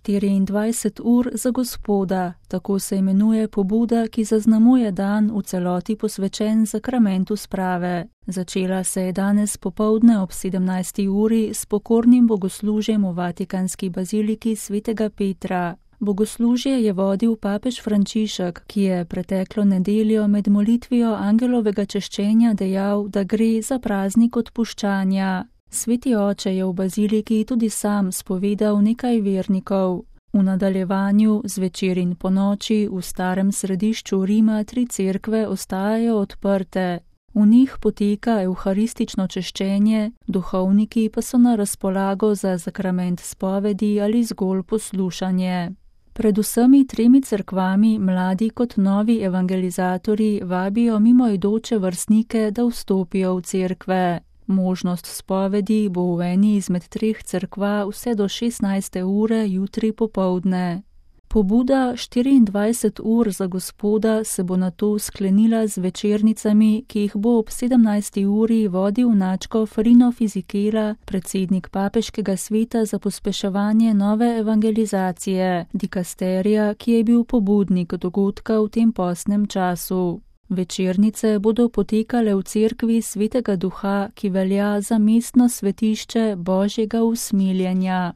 24 ur za Gospoda, tako se imenuje pobuda, ki zaznamuje dan v celoti posvečen sakramentu sprave. Začela se je danes popoldne ob 17. uri s pokornim bogoslužjem v Vatikanski baziliki svetega Petra. Bogoslužje je vodil papež Frančišek, ki je preteklo nedeljo med molitvijo angelovega češčenja dejal, da gre za praznik odpuščanja. Sveti oče je v baziliki tudi sam spovedal nekaj vernikov. V nadaljevanju zvečer in ponoči v starem središču Rima 3 cerkve ostajajo odprte. V njih poteka evharistično češčenje, duhovniki pa so na razpolago za sakrament spovedi ali zgolj poslušanje. Pred vsemi 3 cerkvami mladi kot novi evangelizatorji vabijo mimoidoče vrstnike, da vstopijo v cerkve. Možnost spovedi bo v eni izmed 3 cerkva vse do 16. ure jutri popoldne. Pobuda 24 ur za Gospoda se bo nato sklenila z večernicami, ki jih bo ob 17. uri vodil nadškof Rino Fisichella, predsednik papeškega sveta za pospeševanje nove evangelizacije, dikasterija, ki je bil pobudnik dogodka v tem postnem času. Večernice bodo potekale v cerkvi Svetega Duha, ki velja za mestno svetišče Božjega usmiljenja.